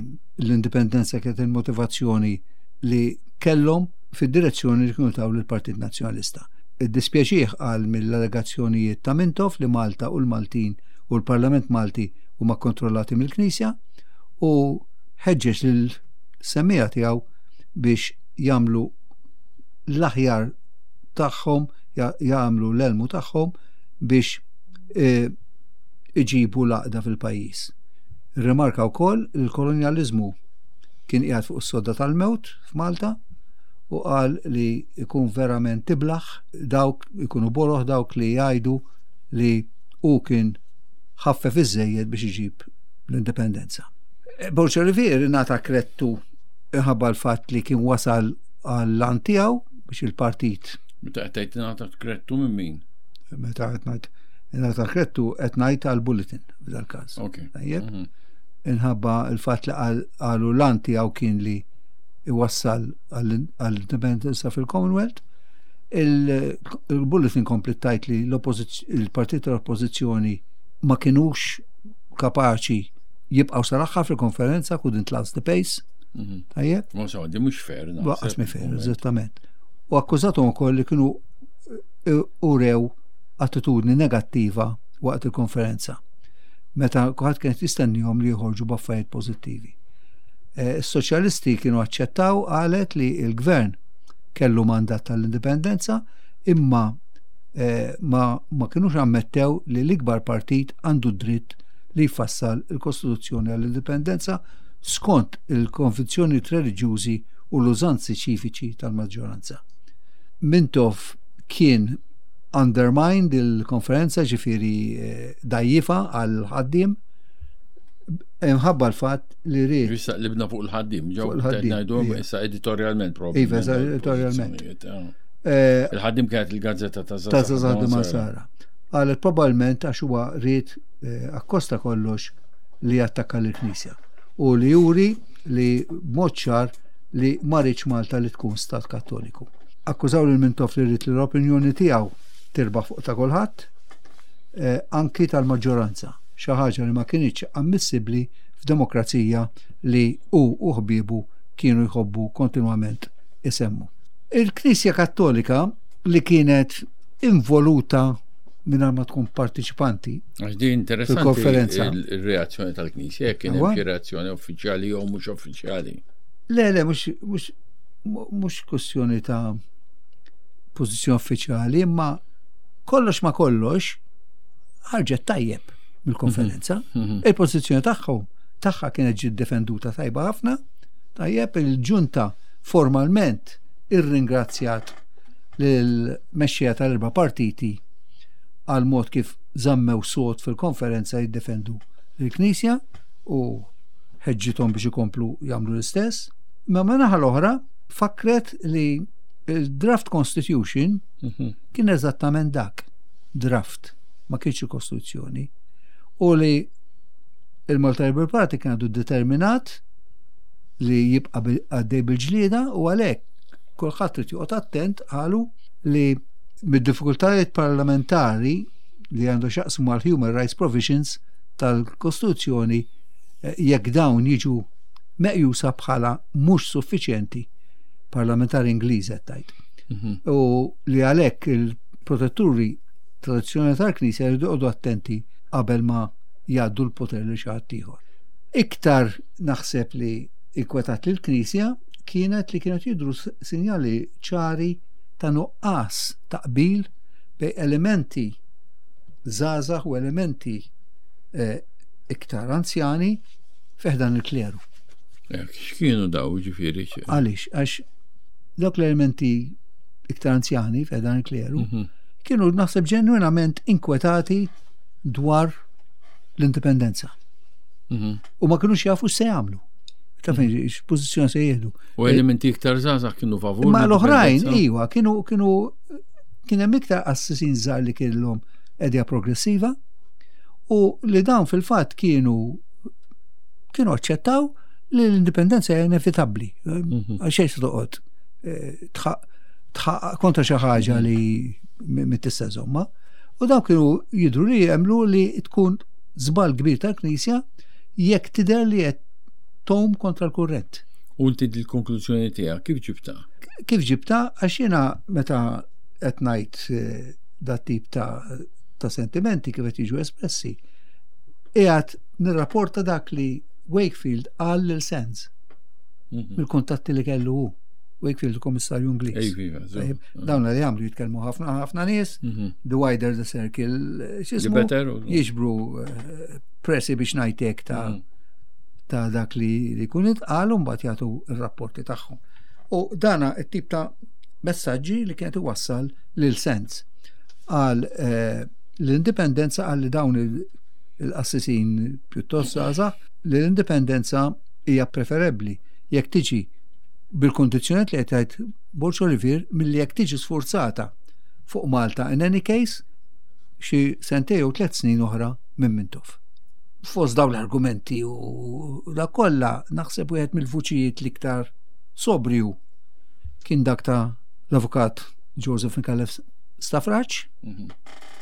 l-indipendenza kienet il-motivazzjoni li kellhom fid-direzzjoni li kienu taw lill-Partit Nazzjonalista. Iddispjaċih qal mill-allegazzjonijiet ta' Mintoff li Malta u l-Maltin u l-Parlament Malti huma kontrollati mill-Knisja u ħeġġeġ lil-semmiegħa tiegħu biex jagħmlu l-aħjar tagħhom, jagħmlu l-elmu tagħhom biex e, iġibu l-għaqda fil-pajjiż. Rimarka wkoll il-kolonjaliżmu kien qiegħed fuq is-sodda tal-mewt f'Malta. u qal li ikun verament tiblaħ dawk ikunu boloh dawk li jgħidu li hu kien ħaffef iżejjed biex iġib l-indipendenza. Borg Olivier ngħata kredtu ħabba l-fatt li kien wasal għall-għan tiegħu biex il-partit. Meta qed tgħid ngħata kredtu minn min? Meta qed ngħid ngħata kredtu, qed ngħid għall-Bulletin f'dal każ. Tajjeb. Mhm. Inħabba il-fatt li qalu l-għan tiegħu kien li iwassal għall-indipendenza fil-Commonwealth. Il-Bulletin komplet tgħid li il-partit tal-oppożizzjoni ma kienux kapaċi jibqgħu sal-aħħar fil-konferenza, couldn't last the pace. Mhm. Tajjeb? Ma so, di mhux fair. Lanqas mhi fair, eżattament. U akkużatom ukoll li kienu eh, urew attitudni negattiva waqt il-konferenza, meta kulħadd kienet jistennihom li joħorġu b'affarijiet pożittivi. Eh, is-soċjalisti kienu aċċettaw, qalet, li il-gvern kellu mandat tal-indipendenza, imma eh, ma, ma kienux ammettew li l-ikbar partit għandu dritt li jfassal il-Kostituzzjoni għall-indipendenza skont il-konvinzjoni reliġjużi u l-użanzi ċiviċi tal-maġġoranza. Mintoff kien undermined il-konferenza, ġifieri eh, dgħajjifha għall-ħaddiem imħabba l-fatt li ried. Issa libna fuq il-ħaddiem, ġew ngħidu issa editorialment propju. Iva, editorialment. Ah. Eh, Il-Ħaddiem kienet il-gazzetta ta' Ta' Żgħażagħ Sara. Qalet probabbilment għax huwa ried eh, akkosta kollox li jattakka l-Knisja u li juri li b'mod ċar li ma riedx Malta li tkun stat Kattoliku. Akkużaw lil Mintoff li ried li l-opinjoni tiegħu tirbaħ fuq ta' kulħadd, eh, anki tal-maġġoranza, xi ħaġa li ma kinitx ammissibbli f'demokrazija li hu u ħbiebu kienu jħobbu kontinwament isemmu. Il-Knisja Kattolika, li kienet involuta mingħajr ma tkun partiċipanti. Għax di interessanti konferenza. Il-reazzjoni tal-Knisja, kien hemm xi reazzjoni uffiċjali jew mhux uffiċjali. Le, le, mhux mhux mhux kwestjoni ta' pożizzjoni uffiċjali, imma kollox ma kollox ħarġet tajjeb mill-konferenza. Mhm, mhm. Il-pożizzjoni tagħhom tagħha kienet ġiet defenduta tajba ħafna. Tajjeb, il-ġunta formalment irringrazzjat lill-mexxija tal-erba' partiti għal mod kif żammew sod fil-konferenza jiddefendu l-Knisja u ħeġġithom biex ikomplu jagħmlu l-istess. Ma naħa l-oħra fakret li il-draft constitution Mhm. kien eżattament dak, draft, ma kienx il-Kostituzzjoni. U li il-Malta Labour Party kien għadu determinat li jibqa' bil- għaddej bil-ġlieda u għalhekk kulħadd trid joqgħod attent, qalu, li mid-diffikultajiet parlamentari li għandu x'jaqsmu mal human rights provisions tal-Kostituzzjoni eh, jekk dawn jiġu meqjusa bħala mhux suffiċjenti, parlamentari Ingliż qed tgħid. Mhm. U li għalhekk il-protetturi tradizzjonali tal-Knisja jridu joqogħdu attenti qabel ma jgħaddu l-poter li xi ħadd ieħor. Iktar naħseb li inkwetat lil knisja kienet li kienet jidru s- sinjali ċari ta' nuqqas ta' qbil bejn elementi żgħażagħ u elementi eh, iktar anzjani fi ħdan il-kleru. Ek, x'kienu daw, ġifieri? xi- Għaliex? Għax dawk l-elementi iktar anzjani fi ħdan il-kleru Mhm. kienu naħseb ġenwinament inkwetati dwar l-indipendenza. Mhm. U ma kienux jafu x'se jagħmlu. Ta' fejn x'pożizzjoni se jieħdu. U elementi iktar żgħażagħ kienu favur Ma l-oħrajn, l-indipendenza? iwa, kienu kienu kien hemm iktar qassisin żgħar li kellhom idea progressiva u li dawn fil-fatt kienu kienu aċċettaw li l-indipendenza hija inevitabbli. Mhm. Għal xejn se toqgħod eh, tħaq tħaq kontra xi ħaġa li mit-tista' żomma. U dawn kienu jidru li jemmnu li tkun żball kbir tal-Knisja jekk tidher li qed tgħum kontra l-kurrent. U inti l-konklużjoni tiegħek kif ġibta? Kif ġibta? Għax jiena meta qed ngħid eh, dat tip ta' ta' sentimenti kif qed jiġu espressi, qiegħed nirrapporta dak li Wakefield qal lil Sands Mhm. mill-kuntatti li kellu hu. Wakefield, il-Komissarju Ingliż. Ej, viva, żgur. Tajjeb, dawn li jagħmlu jitkellmu ħafna ħafna nies, Mhm. the wider the circle, eh, The x'ismu, better? u- jiġbru eh, pressi biex ngħidlek ta' Mhm. ta' dak li li jkun intqal u mbagħad jagħtu r-rapporti tagħhom. U dana it-tip ta' messaġġi li kienet iwassal lil Sands. Għal eh, l-indipendenza, għal li dawn il-qassisin pjuttost żgħażagħ, li l-indipendenza hija preferibbli jekk tiġi bil-kondizzjonijiet li qed jgħid Borg Olivier milli jekk tiġi sforzata fuq Malta in any case xi sentej jew tliet snin oħra minn Mintoff. Fost dawn l-argumenti u da kollha, naħseb wieħed mill-vuċijiet l-iktar sobrju kien dak ta' l-avukat Joseph Micallef Stafrace, Mhm.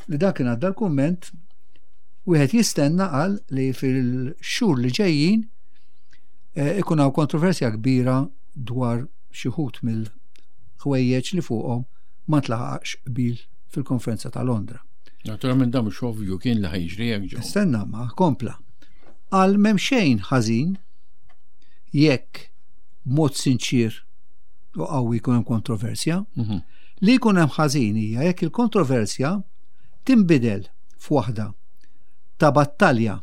li dak kien għadda l-kumment, wieħed jistenna, qal, li fil-xhur li ġejjin eh, ikun hawn kontroversja kbira dwar xi wħud mill-ħwejjeġ li fuqhom ma tlaħaqx qbil fil-konferenza ta' Londra. Naturalment dan mhux ovvju kien li ħa jiġri hekk ġew. Stenna, ma kompla. Qal m'hemm xejn ħażin jekk b'mod sinċir u qawwi jkun hemm kontroversja. Mhm. Li jkun hemm ħażin hija jekk il-kontroversja tinbidel f'waħda ta' battalja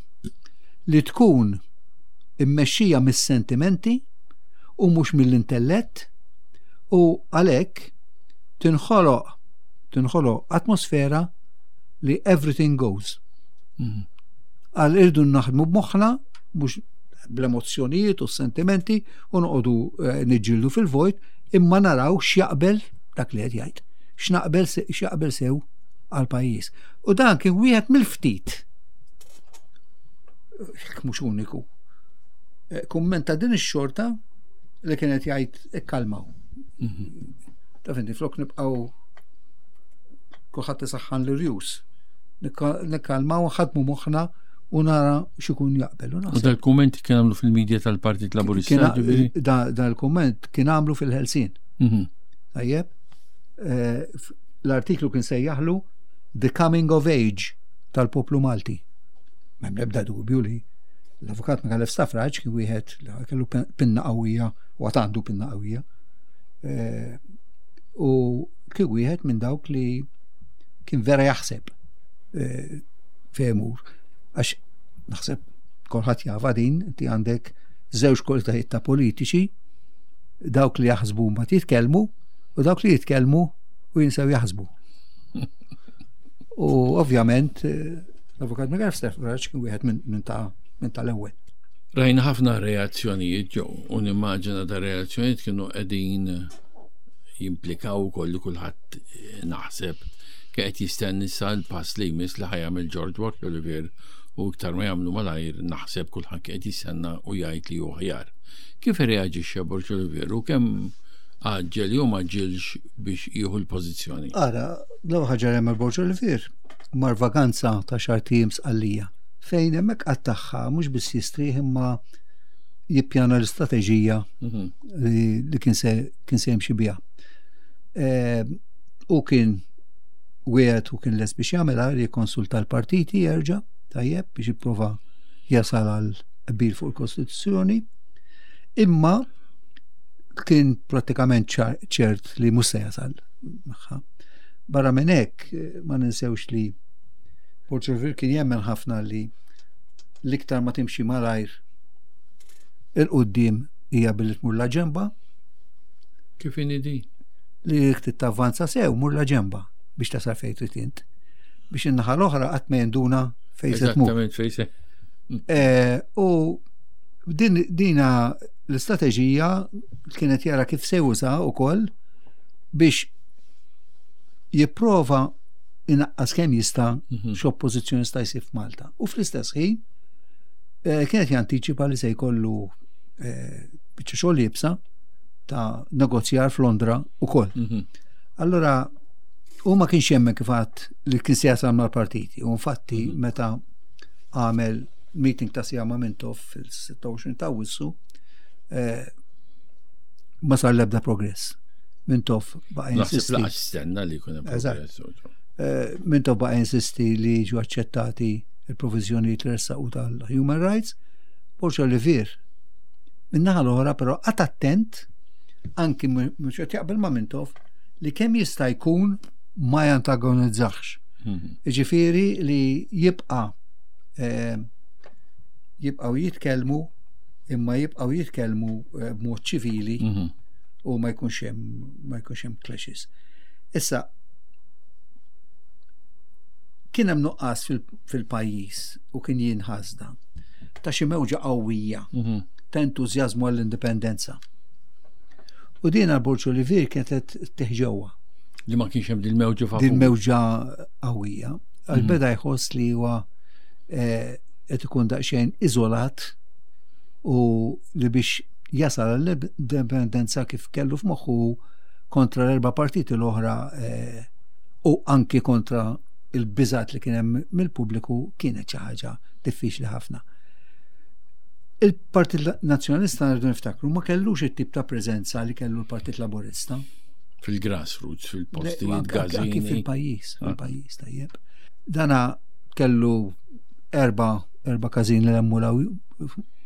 li tkun immexxija mis-sentimenti u mhux mill-intellett u għalhekk tinħoloq tinħoloq atmosfera li everything goes. Mhm. Qal irridu naħdmu b'moħħna, mhux bl-emozzjonijiet u s-sentimenti, u noqogħdu eh, niġġieldu fil-vojt, imma naraw x'jaqbel, dak li qed jgħid. X'naqbel se- x'jaqbel sew għal pajjiż. U dan kien wieħed mill-ftit, jekk mhux uniku, eh, kumment ta' din ix-xorta li kienet jgħid ikkalmaw. Mhm. Taf inti, flok nibqgħu kulħadd isaħħan l-irjus. Nikkalmaw, ħadmu moħħna u nara x'ikun jaqbel. U U naħseb dal-kumment kien għamlu fil-medja tal-Partit Laburista, kien- ġifieri? da da l-kumment kien għamlu fil-Ħelsien. Mhm. Tajjeb, Eh, f- l-artiklu kien sejjaħlu "The Coming of Age tal-Poplu Malti". M'hemm ebda dubju li l-avukat Micallef Stafrace kien wieħed li kellu pen- pinna qawwija u għad għandu pinna qawwija. Eh, U kien wieħed minn dawk li kien vera jaħseb eh, fejn imur. Għax naħseb kulħadd jafha din, inti għandek żewġ kwalitajiet ta' politiċi, dawk li jaħsbu ma jitkellmu u dawk li jitkellmu u jinsew jaħsbu. U ovvjament eh, l-avukat Micallef Stafrace kien wieħed minn min ta' minn tal-ewwel. Rajna ħafna reazzjonijiet ġew u nimmaġina da reazzjonijiet kienu qegħdin jimplikaw ukoll li kulħadd eh, naħseb kien qed jistenni sa l-pass li jmiss li ħa jagħmel George Borg Olivier, u iktar ma jagħmlu malajr naħseb kulħadd kien qed jistenna u jgħid li hu aħjar. Kif irreaġixxa Borg Olivier u kemm għaġġel jew ma għaġġilx biex jieħu l-pożizzjoni? Ara, l-ewwel ħaġa li għamel Borg Olivier, mar vaganza ta' għaxart ijiem Sqallija, fejn hemmhekk qattagħha mhux biss jistrieħ imma jippjana l-istrateġija Mhm. li, li kien se kien se jimxi biha. Eh, U kien wieħed u kien les biex jagħmilha li jikkonsulta l-partiti jerġa', tajjeb, biex jipprova jasal għal qbil fuq il-Kostituzzjoni. Imma kien prattikament ċar- ċert li mhux se jasal magħha. Barra minn hekk, eh, ma ninsewx li Borg Olivier kien jemmen ħafna li l-iktar ma timxi malajr 'il quddiem hija billi tmur la ġemba. Kif inhi di? Li jekk tavvanza sew, mur la ġemba biex tasal fejn trid int. Biex in-naħa l-oħra qatt ma jinduna fejn se tmur. Eżattament fejn se. Eh, U din dina l-istrateġija kienet jara kif se juża wkoll biex jipprova inaqqas kemm jista' Mhm. x'oppożizzjoni sta jsir f'Malta. U fl-istess ħin eh, kienet jantiċipa li se jkollu eh, biċċa xogħol iebsa ta' negozjar f'Londra ukoll. Mhm. Allora, u ma kienx jemmen, kif għedt, li kien se jasal mal-partiti. U infatti, Mhm. meta għamel meeting ta' siegħa ma' Mintoff fil-sitta u għoxrin ta' Awwissu, eh, ma sar l-ebda progress. Mintoff baqa' Naħseb jinsisti. laqas stenna li jkun hemm Eżatt. progress. Eh, Mintoff baqa' jinsisti li jiġu aċċettati il-provizjoni li ressaqu tal-human rights. Borg Olivier, min-naħa l-oħra, però qagħad attent, anki mhux qed jaqbel ma' Mintoff, li kemm jista' jkun ma jantagonizzax. Mhm. Ġifieri li jibqa' eh, jibqgħu jitkellmu, imma jibqgħu jitkellmu eh, b'mod ċivili Mhm. U ma jkunx hemm ma jkunx hemm clashes. Issa kien hemm nuqqas fil-pajjiż u kien jinħass dan ta' xi mewġa qawwija mhm. ta' entużjażmu għall-indipendenza. U din għal Borg Olivier kienet teħġewwa. Li ma kienx hemm din mewġa favur. Din mewġa qawwija. Għal mhm. beda jħoss li huwa eh, qed ikun daqsxejn iżolat u li biex jasal l-indipendenza kif kellu f'moħħu kontra l-erba' partiti l-oħra eh, u anki kontra il-biżat li kien hemm mill-pubbliku kienet xi ħaġa diffiċli ħafna. Il-Partit Nazzjonalista, rridu niftakru, ma kellux it-tip ta' preżenza li kellu l-Partit Laburista. Fil-grassroots, fil-postijiet, gazini. Fil-pajjiż, ah. fil-pajjiż, tajjeb. Dana kellu erba erba każin li emmulaw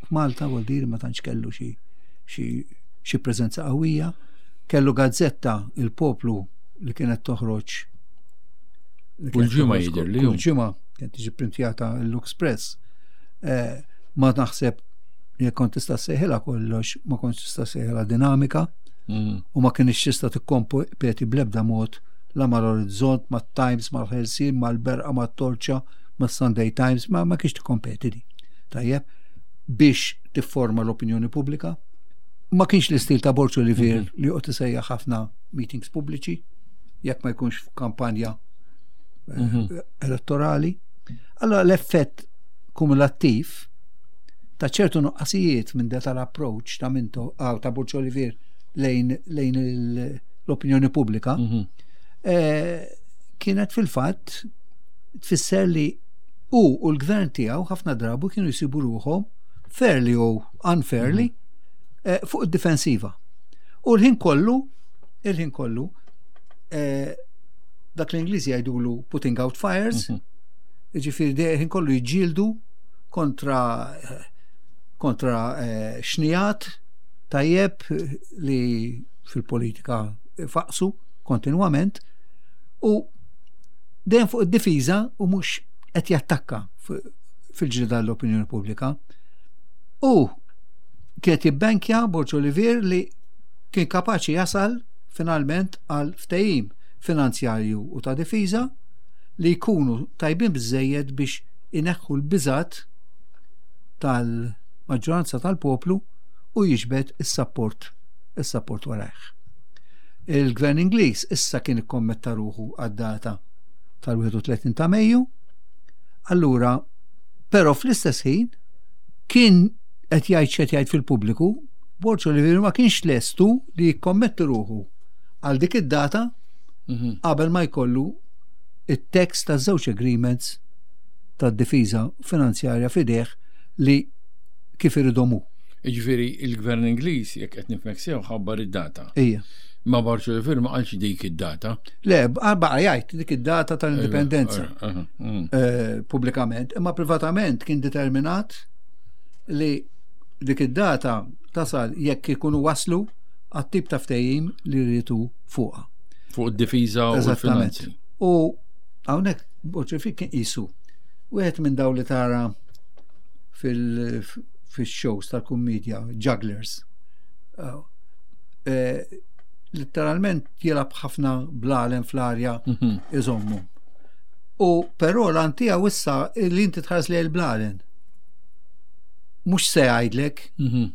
f'Malta, vuol dire ma tantx kellu xi xi preżenza qawwija. Kellu gazzetta, Il-Poplu, li kienet toħroġ kull ġimgħa, jidher li. Kull ġimgħa kienet tiġi printjata l-Express. Eh, ma naħseb jekk kont tista' sejħilha kollox, ma kontx tista' sejħilha dinamika mm. u ma kienx tista' tikkompeti bl-ebda mod la mal-Orizzont, mat-Times, mal-Ħelsien, mal-Berqa, mat-Torċa, mas-Sunday Times, ma ma kienx tikkompeti di. Tajjeb, biex tifforma l-opinjoni pubblika. Ma kienx l-istil ta' Borg Olivier mm -hmm. li joqgħod isejjaħ ħafna meetings pubbliċi jekk ma jkunx f'kampanja eh, mm -hmm. elettorali. Allora l-effett kumulattiv ta' ċertu nuqqasijiet minn da tal-approach ta' Minto ah, ta' Borg Olivier lejn, lejn l-opinjoni pubblika mm -hmm. eh, kienet fil-fatt tfisser li u u l-gvern tiegħu ħafna drabu kienu jsibu ruħhom fairly u unfairly mm -hmm. eh, fuq id-difensiva. U l-ħin kollu, il-ħin kollu, eh, dak l-Ingliżi jgħidulu putting out fires, mm -hmm. ġifieri ħin kollu jġildu kontra kontra eh, xnijat, tajjeb, li fil-politika faqsu kontinwament u dejjem fuq id-difiża u mhux qed jattakka fil-ġrida l-opinjoni pubblika. U kienet jibbenkja Borg Olivier li kien kapaċi jasal finalment għal ftehim finanzjarju u ta' difiża li jkunu tajbin biżejjed biex ineħħu l-biżat tal-maġġoranza tal-poplu u jiġbed is-sapport is-sapport warajh. Il-Gvern Ingliż issa kien ikkommetta ruħu għad-data tal-wieħed u tletin ta' Mejju, allura però fl-istess ħin kien qed jgħid x'qed jgħid fil-pubbliku, Borg Olivier ma kienx lestu li jikkommetti ruħu għal dik id-data mhm. qabel ma jkollu it-tekst ta' żewġ agreements tad-difiża finanzjarja f'idejh li kif iridhom hu. Jiġifieri il-Gvern Ingliż, jekk qed nifhmek sew, ħabbar id-data. Ija. Ma Borg Olivier ma qalx dik id-data. Le, baqa' jgħid dik id-data tal-indipendenza. Mm. Eh, pubblikament, imma privatament kien determinat li dik id-data tasal jekk ikunu waslu għat-tip ta' ftehim li rritu fuqha. Fuq id-difiża u l-finanzi. U hawnhekk Borg kien qisu wieħed minn daw li tara fil-shows tal-kummedja, jugglers. Eh, literalment jilgħab ħafna blalen fl-arja mhm. iżommu. U però l tiegħu issa li inti tħares li l-blalen. Mhux se jgħidlek. Mhm.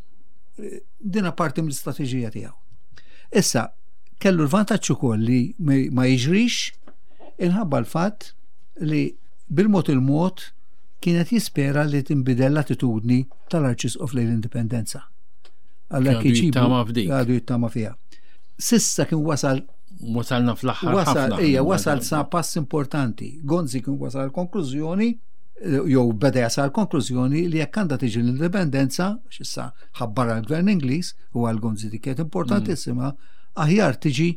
Dina parti mill-istrateġija tiegħu. Issa, kellu l-vantaġġ ukoll li ma jiġrix inħabba l-fatt li bil-mod il-mod kienet jispera li tinbidel l-attitudni tal-Arċisqof lejn l-indipendenza. Għalla għadu jittama fiha. S'issa kien wasal Wasalna fl-aħħar. Wasal, ija, wasal sa pass importanti. Gonzi kien wasal konklużjoni, jew beda jasal konklużjoni li jekk għandha tiġi l-indipendenza, x'issa ħabbara l-Gvern Ingliż u għal Gonzi dik kienet importantissima, aħjar tiġi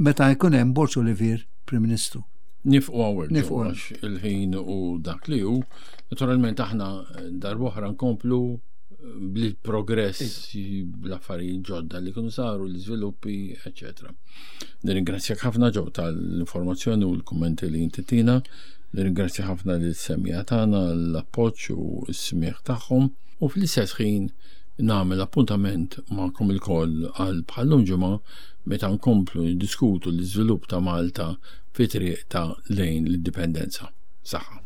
meta jkun hemm Borg Olivier Prim Ministru. Nieqfu hawnhekk. Nieqfu il-ħin u dak li hu. Naturalment aħna darb'oħra nkomplu bil-progress, bl-affarijiet ġodda li kienu saru, l-iżviluppi, eċċetera. Nirringrazzjak ħafna, Joe, tal-informazzjoni u l-kummenti li inti tina. Nirringrazzja ħafna lis-semmiegħa tagħna l-appoġġ u s-smieħ tagħhom u fl-istess ħin Nagħmel appuntament magħkom ilkoll għal bħal-lum ġimgħa meta nkomplu niddiskutu l-iżvilupp ta' Malta fi triqtha lejn l-indipendenza. Saħħa.